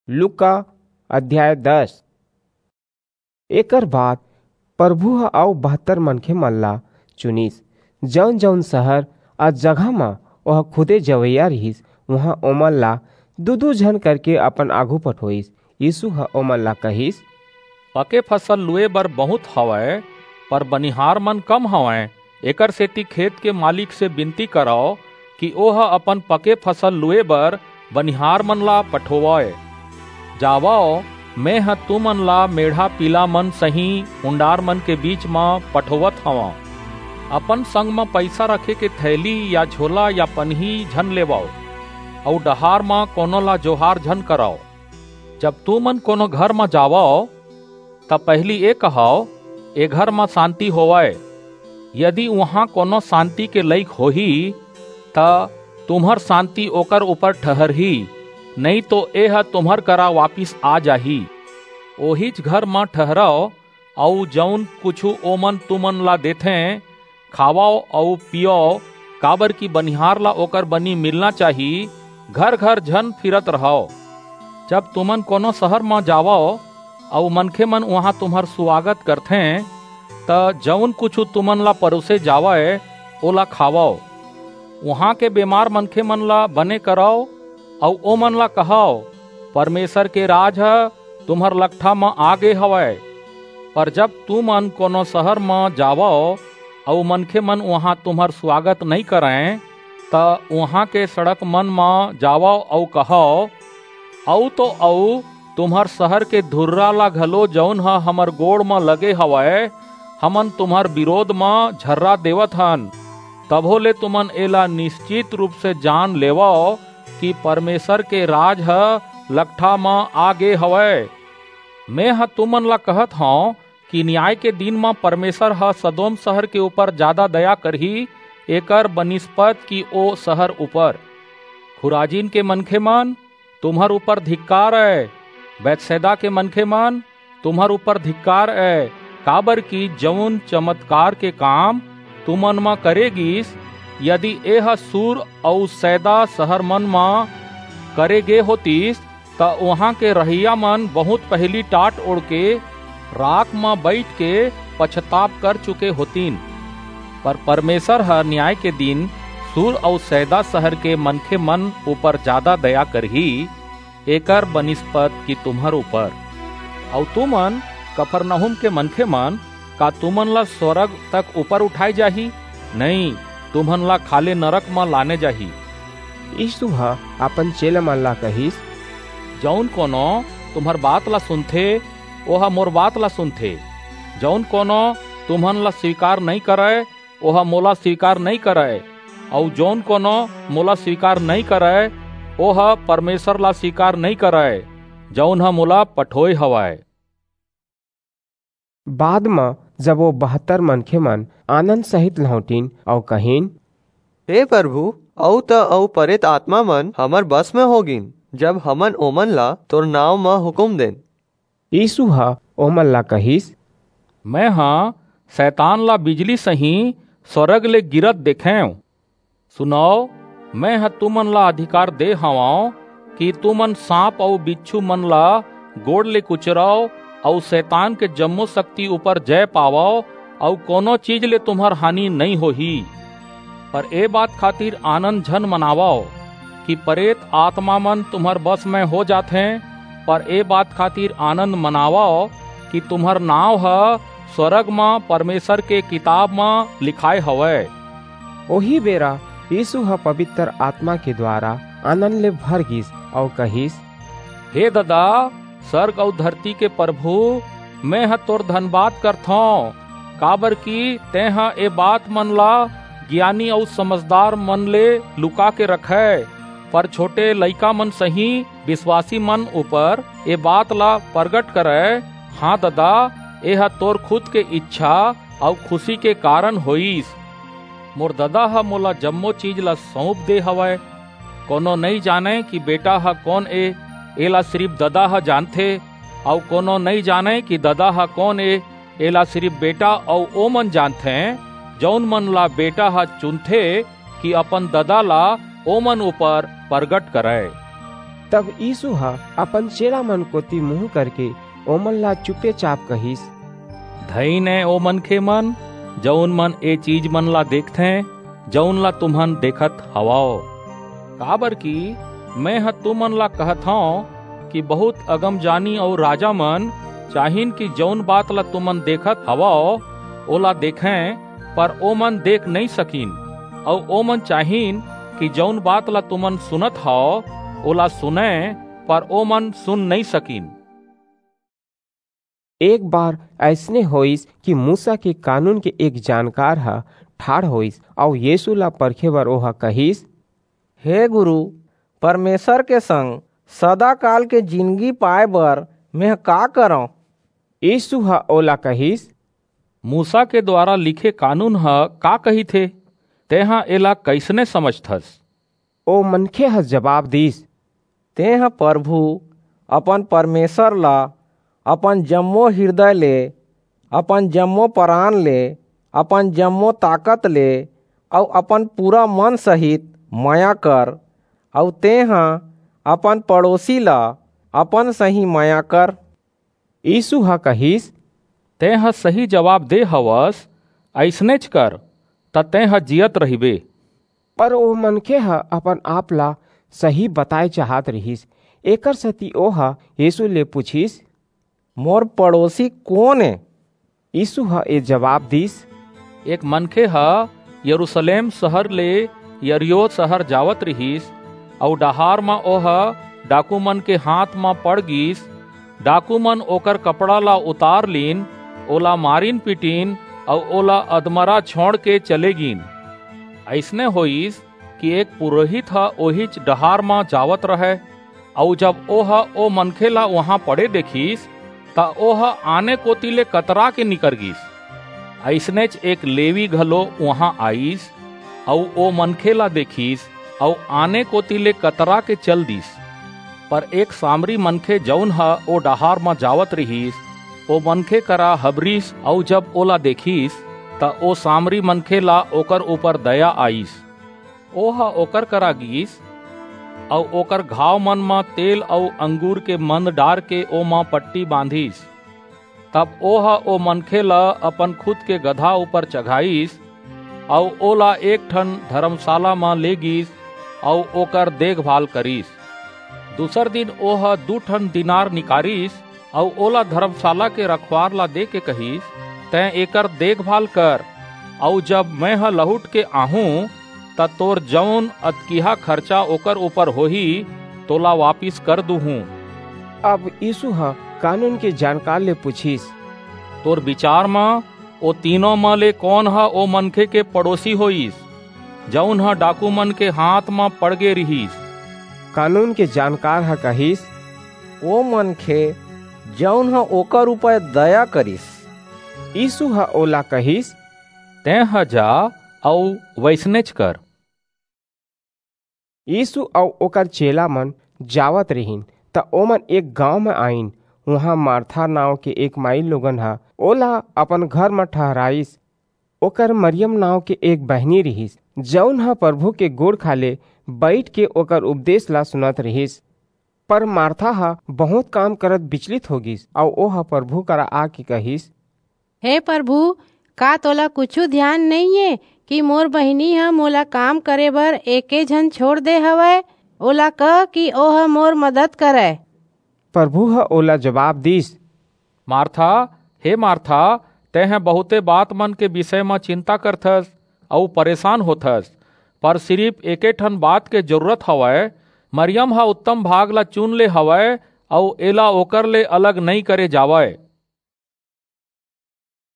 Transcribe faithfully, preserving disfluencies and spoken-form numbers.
लूका अध्याय दस। एकर बाद प्रभु ह अऊ बहत्तर मनखे मन ला चुनिस, जऊन-जऊन शहर अऊ जगह म ओह खुदे जवइया रिहिस, उहां ओमन ला दू-दू झन करके अपन आघू पठोईस। यीसू ह ओमन ला कहिस, पके फसल लुए बर बहुंत हवय, पर बनिहार मन कम हवंय। एकरसेति खेत के मालिक से बिनती करव कि ओह अपन पके फसल लुए बर बनिहार मन ला पठोवय। जावव, मेंह तुमन ला मेढ़ा-पीला मन सहीं उंडार मन के बीच म पठोवत हवंव। अपन संग म पईसा रखे के थैली या झोला या पनही झन लेवव, अऊ डहार म कोनो ला जोहार झन करव। जब तुमन कोनो घर म जावव, त पहिली ए कहव, 'ए घर म सांति होवय।' यदि उहां कोनो सांति के लइक होही, त तुम्हर सांति ओकर ऊपर ठहरही, नइं तो एह तुम्हर करा वापिस आ जाही। ओहीच घर म ठहरव, अऊ जऊन कुछू ओमन तुमन ला देथें, खावव अऊ पीयव, काबरकि बनिहार ला ओकर बनी मिलना चाही। घर-घर झन फिरत रहव। जब तुमन कोनो शहर म जावव अऊ मनखेमन उहां तुम्हर सुवागत करथें, त जऊन कुछू तुमन ला परोसे जावय, ओला खावव। उहां के बेमार मनखेमन ला बने करव अऊ ओमन ला कहव, 'परमेसर के राज ह तुम्हर लकठा म आ गे हवय।' पर जब तुमन कोनो शहर म जावव अऊ मनखेमन उहां तुम्हर सुवागत नइं करंय, त उहां के सड़क मन म जावव अऊ कहव, 'अऊ तो अऊ, तुम्हर शहर के धुर्रा ला घलो, जऊन ह हमर गोड़ म लगे हवय, हमन तुम्हर बिरोध म झर्रा देवत हन।' तभो ले तुमन एला निस्चित रूप से जान लेवव कि परमेसर के राज ह लकठा म आ गे हवय। मेंह तुमन ला कहत हंव कि नियाय के दिन म परमेसर ह सदोम सहर के ऊपर जादा दया करही, एकर बनिस्पत कि ओ सहर ऊपर। खुराजिन के मनखेमन, तुम्हर ऊपर धिक्कार अय। बैतसैदा के मनखेमन, तुम्हर ऊपर धिक्कार अय, काबरकि जऊन चमतकार के काम तुमन म करे गीस, यदि एह सूर अऊ सैदा सहर मन म करे गे होतिस, त उहां के रहइया मन बहुंत पहिली टाट ओढ़के राख म बईठ के पछताप कर चुके होतिन। पर परमेसर ह नियाय के दिन सूर अऊ सैदा सहर के मनखेमन ऊपर जादा दया करही, एकर बनिस्पत कि तुम्हर ऊपर। अऊ तुमन, कफरनहूम के मनखेमन, का तुमन ला स्वरग तक ऊपर उठाय जाही? नइं, तुमन ला खाल्हे नरक म लाने जाही। यीसू ह अपन चेलामन ला कहिस, जऊन कोनो तुम्हर बात ला सुनथे, ओह मोर बात ला सुनथे। जऊन कोनो तुमन ला स्वीकार नइं करय, ओह मोला स्वीकार नइं करय, अऊ जऊन कोनो मोला स्वीकार नइं करय, ओह परमेसर ला स्वीकार नइं करय, जऊन ह मोला पठोय हवय। बाद म जब ओ बहत्तर मनखेमन आनंद सहित लहुंटिन अऊ कहिन, हे परभू, अऊ त अऊ परेत आतमामन हमर बस म हो गीन, जब हमन ओमन ला तोर नांव म हुकूम देन। यीसू ह ओमन ला कहिस, मेंह सैतान ला बिजली सहीं स्वरग ले गिरत देखेंव। सुनव, मेंह तुमन ला अधिकार दे हवंव कि तुमन सांप अऊ बिच्छू मन ला गोड़ ले कुचरव अऊ सैतान के जम्मो सक्ति ऊपर जय पावव अऊ कोनो चीज ले तुम्हर हानि नइं होही। पर ए बात खातिर आनंद झन मनावव कि परेत आतमामन तुम्हर बस म हो जाथें, पर ए बात खातिर आनंद मनावव कि तुम्हर नांव ह स्वरग म परमेसर के किताब म लिखाय हवय। ओही बेरा यीसू ह पबितर आतमा के दुवारा आनंद ले भर गीस अऊ कहिस, हे ददा, सरग अऊ धरती के परभू, मेंह तोर धनबाद करथंव, काबरकि तेंह ए बातमन ला गियानी अऊ समझदारमन ले लुका के रखय, पर छोटे लइकामन सहीं बिसवासीमन ऊपर ए बात ला परगट करय। हां ददा, एह तोर खुद के ईछा अऊ खुसी के कारन होईस। मोर ददा ह मोला जम्मो चीज ला सऊंप दे हवय। कोनो नइं जानय कि बेटा ह कोन ए, एला सिरिप ददा ह जानथे, अऊ कोनो नइं जानय कि ददा ह कोन ए, एला सिरिप बेटा अऊ ओमन जानथें, जऊन मन ला बेटा ह चुनथे कि अपन ददा ला ओमन ऊपर परगट करय। तब यीसू ह अपन चेला मन कोति मुहूं करके ओमन ला चुपेचाप कहिस, धइन ए ओ मनखे मन, जऊन मन ए चीज मन ला देखथें, जऊन ला तुमन देखत हवव। काबरकि मेंह तुमन ला कहत हंव कि बहुंत अगमजानी अऊ राजा मन चाहिन कि जऊन बात ला तुमन देखत हवव, ओला देखें, पर ओमन देख नइं सकिन, अऊ ओमन चाहिन कि जऊन बात ला तुमन सुनत हव, ओला सुनें, पर ओमन सुन नइं सकिन। एक बार अइसने होईस कि मूसा के कानून के एक जानकार ह ठाढ़ होईस, अऊ यीसू ला परखे बर ओह कहिस, हे गुरू, परमेसर के संग सदाकाल के जिनगी पाय बर मेंह का करंव? यीसू ह ओला कहिस, मूसा के दुवारा लिखे कानून ह का कहिथे? तेंह एला कइसने समझथस? ओ मनखे ह जबाब दीस, तेंह परभू अपन परमेसर ला अपन जम्मो हिरदय ले, अपन जम्मो परान ले, अपन जम्मो ताकत ले अऊ अपन पूरा मन सहित मया कर, अऊ तेंह अपन पड़ोसी ला अपन सहीं मया कर। यीसू ह कहिस, तेंह सही जबाब दे हवस, अइसनेच कर, त तेंह जीयत रहिबे। पर ओ मनखे ह अपन-आप ला सही बताय चाहत रिहिस, एकरसेति ओह यीसू ले पुछिस, मोर पड़ोसी कोन ए? यीसू ह ए जबाब दीस, एक मनखे ह यरूसलेम सहर ले यरीहो सहर जावत रिहिस, अऊ डहार म ओह डाकूमन के हांथ म पड़ गीस। डाकूमन ओकर कपड़ा ला उतार लीन, ओला मारिन-पीटिन अऊ ओला अधमरा छोंड़के चले गीन। अइसने होईस कि एक पुरोहित ह ओहीच डहार म जावत रहय, अऊ जब ओह ओ मनखे ला उहां पड़े देखिस, त ओह आने कोति ले कतराके निकर गीस। अइसनेच एक लेवी घलो उहां आईस, अऊ ओ मनखे ला देखिस, अऊ आने कोति ले कतराके चल दीस। पर एक सामरी मनखे, जऊन ह ओ डहार म जावत रिहिस, ओ मनखे करा हबरिस, अऊ जब ओला देखिस, त ओ सामरी मनखे ला ओकर ऊपर दया आईस। ओह ओकर करा गीस, अऊ ओकर घावमन म तेल अऊ अंगूर के मंद डारके ओमा पट्टी बांधिस। तब ओह ओ मनखे ला अपन खुद के गधा ऊपर चघाईस, अऊ ओला एक ठन धरमसाला म ले गीस, अऊ ओकर देखभाल करिस। दूसर दिन ओह दू ठन दीनार निकारिस, अऊ ओला धरमसाला के रखवार ला देके कहिस, तें एकर देखभाल कर, अऊ जब मेंह लहुटके आहूं, त तोर जऊन अतकिहा खरचा ओकर ऊपर होही, तोला वापिस कर दूहूं। अब यीसू ह कानून के जानकार ले पुछिस, तोर बिचार म ओ तीनों म ले कोन ह ओ मनखे के पड़ोसी होईस, जऊन ह डाकूमन के हांथ म पड़ गे रिहिस? कानून के जानकार ह कहिस, ओ मनखे, जऊन ह ओकर ऊपर दया करिस। यीसू ह ओला कहिस, तेंह जा अऊ वइसनेच कर। यीसू अऊ ओकर चेलामन जावत रिहिन, त ओमन एक गांव म आईन। उहां मारथा नांव के एक माईलोगन ह ओला अपन घर म ठहराईस। ओकर मरियम नांव के एक बहिनी रिहिस, जऊन ह परभू के गोड़ खाल्हे बईठके ओकर उपदेस ला सुनत रिहिस। पर मारथा ह बहुंत काम करत बिचलित हो गीस, अऊ ओह परभू करा आके कहिस, हे परभू, का तोला कुछू धियान नइं ए कि मोर बहिनी ह मोला काम करे बर एके झन छोंड़ दे हवय? ओला कह कि ओह मोर मदद करय। परभू ह ओला जबाब दीस, मारथा, हे मारथा, तेंह बहुंते बातमन के बिसय म चिंता करथस अऊ परेसान होथस, पर सिरिप एके ठन बात के जरूरत हवय। मरियम ह उत्तम भाग ला चुन ले हवय, अऊ एला ओकर ले अलग नइं करे जावय।